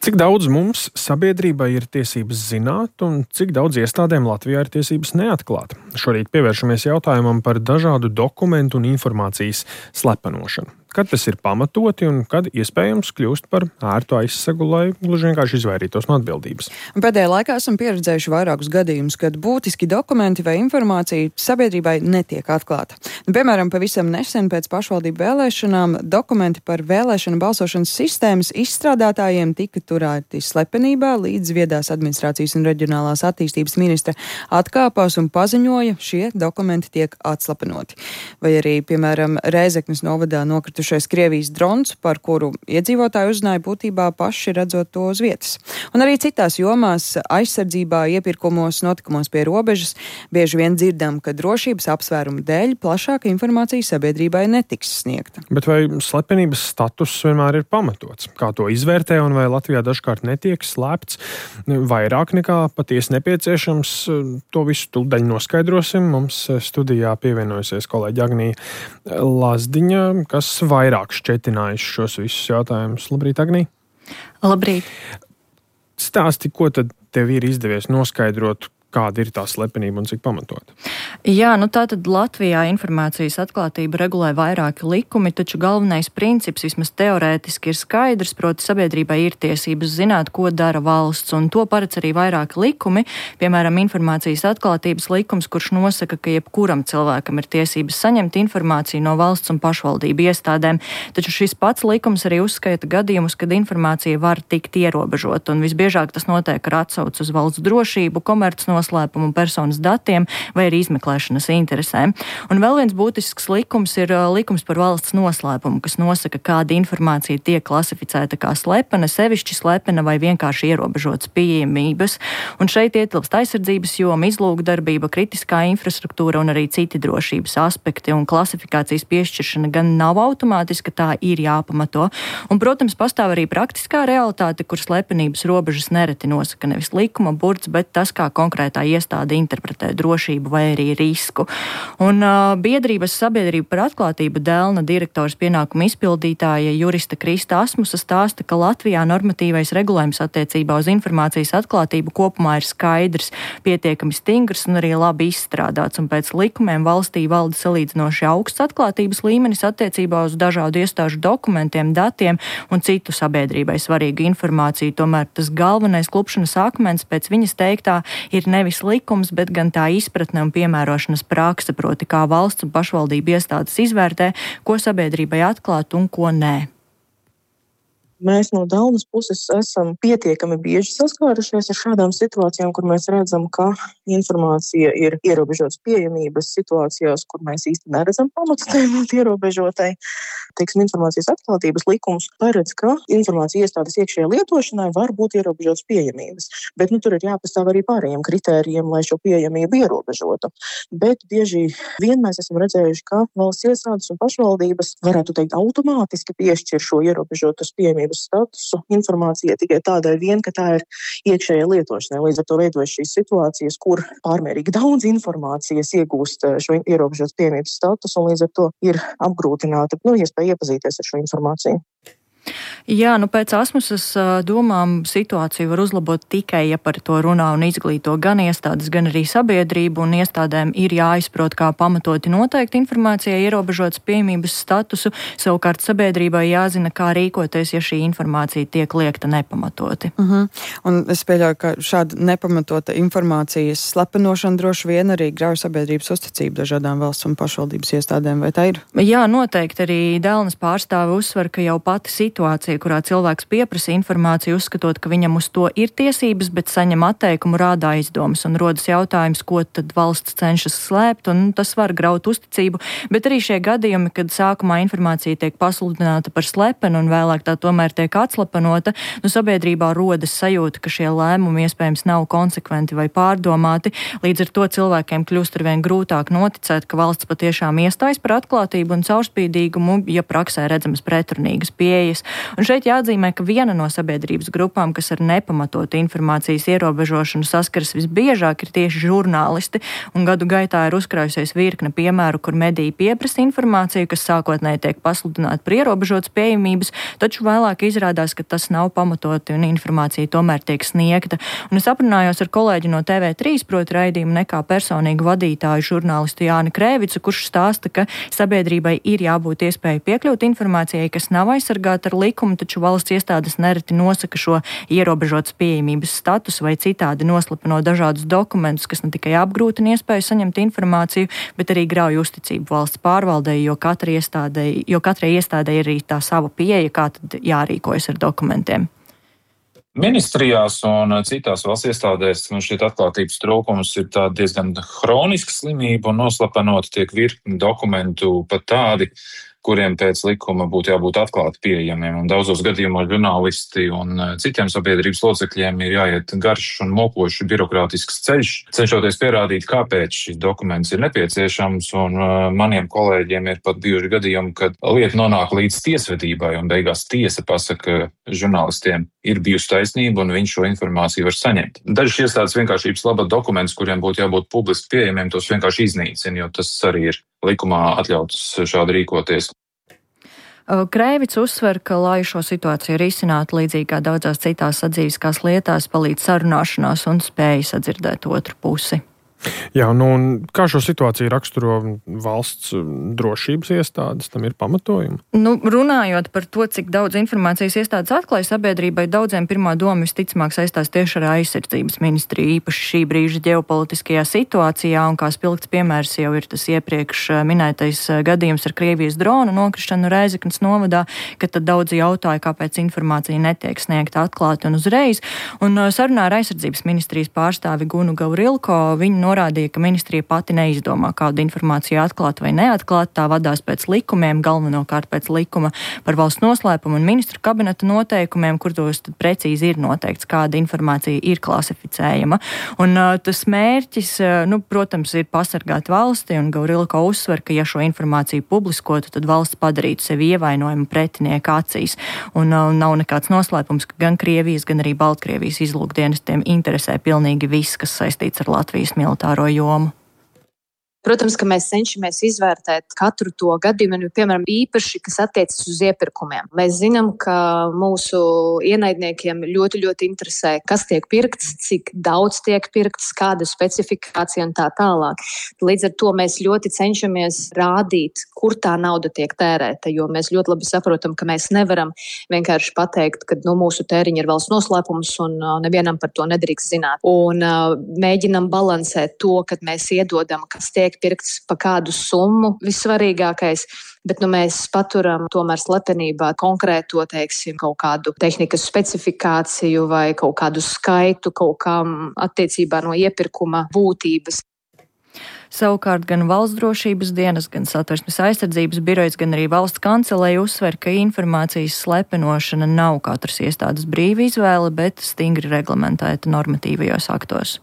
Cik daudz mums sabiedrībai ir tiesības zināt, un cik daudz iestādēm Latvijā ir tiesības neatklāt? Šorīt pievēršamies jautājumam par dažādu dokumentu un informācijas slepenošanu. Kad tas ir pamatoti un kad iespējams kļūst par ērtu aizsegu, lai gluži vienkārši izvairītos no atbildības. Pēdējā laikā esam pieredzējuši vairākus gadījumus, kad būtiski dokumenti vai informācija sabiedrībai netiek atklāta. Piemēram, pavisam nesen pēc pašvaldību vēlēšanām dokumenti par vēlēšanu balsošanas sistēmas izstrādātājiem tika turēti slepenībā, līdz viedās administrācijas un reģionālās attīstības ministre atkāpās un paziņoja, šie dokumenti tiek atslepenoti. Vai arī, piemēram, Rēzeknes novadā nokritušais Krievijas drons, par kuru iedzīvotāji uzzināja būtībā paši redzot to uz vietas. Un arī citās jomās aizsardzībā, iepirkumos, notikumos pie robežas bieži vien dzirdam, ka drošības apsvērumu dēļ plašāka informācija sabiedrībai netiks sniegta. Bet vai slepenības status vienmēr ir pamatots? Kā to izvērtē un vai Latvijā dažkārt netiek slēpts vairāk nekā patiesi nepieciešams? To visu tūdaļ noskaidrosim. Mums studijā pievienojusies kolēģi Agnija Lazdiņa, kas vairāk šķetinājuši šos visus jautājumus. Labrīt, Agnija! Labrīt! Stāsti, ko tad tev ir izdevies noskaidrot, kāda ir tā slepenība un cik pamatot? Jā, tātad Latvijā informācijas atklātību regulē vairāki likumi, taču galvenais princips vismaz teorētiski ir skaidrs, proti sabiedrībai ir tiesības zināt, ko dara valsts, un to paredz arī vairāki likumi, piemēram, informācijas atklātības likums, kurš nosaka, ka jebkuram cilvēkam ir tiesības saņemt informāciju no valsts un pašvaldību iestādēm, taču šis pats likums arī uzskaita gadījumus, kad informācija var tikt ierobežota, un visbiežāk tas notiek ar atsauci uz valsts drošību, komercnoslēpumu un personas datiem vai arī izmeklēšanas interesēm. Un vēl viens būtisks likums ir likums par valsts noslēpumu, kas nosaka, kāda informācija tiek klasificēta kā slepena, sevišķi slepena vai vienkārši ierobežotas pieejamības. Un šeit ietilpst aizsardzības joma, izlūkdarbība, kritiskā infrastruktūra un arī citi drošības aspekti. Un klasifikācijas piešķiršana gan nav automātiska, tā ir jāpamato. Un, protams, pastāv arī praktiskā realitāte, kur slepenības robežas nereti nosaka nevis likuma burts, bet tas, kā konkrētā iestāde interpretē drošību vai arī risku. Un biedrības sabiedrība par atklātību Delna direktors pienākumu izpildītāja jurista Krista Asmusa stāsta, ka Latvijā normatīvais regulējums attiecībā uz informācijas atklātību kopumā ir skaidrs, pietiekami stingrs un arī labi izstrādāts, un pēc likumiem valstī valda salīdzinoši augsts atklātības līmenis attiecībā uz dažādu iestāžu dokumentiem, datiem un citu sabiedrībai svarīgu informāciju. Tomēr tas galvenais klupšanas akmens pēc viņas teiktā ir nevis likums, bet gan tā izpratne un piemērošanas prakse, proti kā valsts un pašvaldību iestādes izvērtē, ko sabiedrībai atklāt un ko nē. Mēs no Delnas puses esam pietiekami bieži saskārušies ar šādām situācijām, kur mēs redzam, ka informācija ir ierobežotas pieejamības situācijās, kur mēs īsti neredzam pamatu tai ierobežotai. Informācijas atklātības likums paredz, ka informācija iestādes iekšējai lietošanai var būt ierobežotas pieejamības, bet tur ir jāpastāv arī pārējiem kritērijiem, lai šo pieejamību ierobežotu. Bet bieži vien mēs esam redzējuši, ka valsts iestādes un pašvaldības varētu teikt automātiski piešķir šo ierobežotas pieejamības statusu informācijai tikai tādēļ vien, ka tā ir iekšējai lietošanai. Līdz ar to veidojas šīs situācijas, kur pārmērīgi daudz informācijas iegūst šo ierobežotas pieejamības statusu un līdz ar to ir apgrūtināta iespēja iepazīties ar šo informāciju. Jā, pēc Asmusas domām situāciju var uzlabot tikai, ja par to runā un izglīto gan iestādes, gan arī sabiedrību, un iestādēm ir jāizprot, kā pamatoti noteikti informācijai ierobežotas pieejamības statusu, savukārt sabiedrībai jāzina, kā rīkoties, ja šī informācija tiek liekta nepamatoti. Un es pieļauju, ka šāda nepamatota informācijas slepenošana droši vien arī grauj sabiedrības uzticību dažādām valsts un pašvaldības iestādēm, vai tā ir? Jā, noteikti arī Delnas pārstāve uzsver, ka jau pati situācija, kurā cilvēks pieprasa informāciju, uzskatot, ka viņam uz to ir tiesības, bet saņem atteikumu, rāda aizdomas un rodas jautājums, ko tad valsts cenšas slēpt, un tas var graut uzticību, bet arī šie gadījumi, kad sākumā informācija tiek pasludināta par slepenu un vēlāk tā tomēr tiek atslepenota, sabiedrībā rodas sajūta, ka šie lēmumi iespējams nav konsekventi vai pārdomāti, līdz ar to cilvēkiem kļūst arvien grūtāk noticēt, ka valsts patiešām iestājas par atklātību un caurspīdīgumu, ja praksē redzamas pretrunīgas pieejas. Un Un šeit jāatzīmē, ka viena no sabiedrības grupām, kas ar nepamatotu informācijas ierobežošanu saskaras visbiežāk, ir tieši žurnālisti, un gadu gaitā ir uzkrājusies virkne piemēru, kur mediji pieprasa informāciju, kas sākotnēji tiek pasludināta par ierobežotas pieejamības, taču vēlāk izrādās, ka tas nav pamatoti un informācija tomēr tiek sniegta. Un es aprunājos ar kolēģi no TV3, proti raidījumu Nekā personīgu vadītāju žurnālistu Jāni Krēvicu, kurš stāsta, ka sabiedrībai ir jābūt iespēja piekļūt informācijai, kas nav aizsargāta ar likumu, taču valsts iestādes nereti nosaka šo ierobežotas pieejamības statusu vai citādi noslapino dažādus dokumentus, kas ne tikai apgrūtina iespēju saņemt informāciju, bet arī grauj uzticību valsts pārvaldei, jo katrai iestādei ir arī tā sava pieeja, kā tad jārīkojas ar dokumentiem. Ministrijās un citās valsts iestādēs šķiet atklātības trūkums ir tā diezgan hroniska slimība un noslapenot tiek virkni dokumentu pat tādi, kuriem pēc likuma būtu jābūt atklāti pieejamiem. Un daudzos gadījumos žurnālisti un citiem sabiedrības locekļiem ir jāiet garš un mokošs birokrātisks ceļš, cenšoties pierādīt, kāpēc šis dokuments ir nepieciešams. Un maniem kolēģiem ir pat bijuši gadījumi, kad lieta nonāk līdz tiesvedībai un beigās tiesa pasaka, ka žurnālistiem ir bijusi taisnība un viņš šo informāciju var saņemt. Dažas iestādes vienkāršības labā dokumentus, kuriem būtu jābūt publiski pieejamiem, tos vienkārši iznīcina, jo tas arī ir likumā atļauts šādi rīkoties. Krēvics uzsver, ka, lai šo situāciju risinātu līdzīgi kā daudzās citās sadzīviskās lietās, palīdz sarunāšanās un spēja sadzirdēt otru pusi. Jā, un kā šo situāciju raksturo valsts drošības iestādes, tam ir pamatojumi? Runājot par to, cik daudz informācijas iestādes atklāja sabiedrībai, daudziem pirmā doma visticamāk saistās tieši ar aizsardzības ministriju, īpaši šī brīža ģeopolitiskajā situācijā, un kā spilgts piemērs jau ir tas iepriekš minētais gadījums ar Krievijas dronu nokrišanu Rēzeknes novadā, kad tad daudzi jautāja, kāpēc informācija netiek sniegta atklāti un uzreiz. Un sarunā ar aizsardzības ministrijas pārstāvi Gunu Gavrilko viņi norādīja, ka ministrija pati neizdomā, kādu informāciju atklāt vai neatklāt, tā vadās pēc likumiem, galvenokārt pēc likuma par valsts noslēpumu un ministru kabineta noteikumiem, kur tos tad precīzi ir noteikts, kāda informācija ir klasificējama. Un tas mērķis, protams, ir pasargāt valsti, un Gavrilko uzsver, ka ja šo informāciju publiskotu, tad valsts padarītu sevi ievainojumu pretinieka acīs. Un nav nekāds noslēpums, ka gan Krievijas, gan arī Baltkrievijas izlūkdienestiem interesē pilnīgi viss, kas saistīts ar Latvijas militāro jomu. Protams, ka mēs cenšamies izvērtēt katru to gadījumu, piemēram, īpaši, kas attiecas uz iepirkumiem. Mēs zinām, ka mūsu ienaidniekiem ļoti, ļoti interesē, kas tiek pirkts, cik daudz tiek pirkts, kāda specifikācija un tā tālāk. Līdz ar to mēs ļoti cenšamies rādīt, kur tā nauda tiek tērēta, jo mēs ļoti labi saprotam, ka mēs nevaram vienkārši pateikt, ka mūsu tēriņi ir valsts noslēpums un nevienam par to nedrīkst zināt. Un mēģinam balansēt to, kad mēs iedodam, kas tiek pirkts pa kādu summu, vissvarīgākais, bet mēs paturam tomēr slepenībā konkrēto, kaut kādu tehnikas specifikāciju vai kaut kādu skaitu kaut kam attiecībā no iepirkuma būtības. Savukārt gan Valsts drošības dienas, gan Satversmes aizsardzības birojas, gan arī valsts kanceleja uzsver, ka informācijas slepenošana nav katras iestādes brīva izvēle, bet stingri reglamentēta normatīvajos aktos.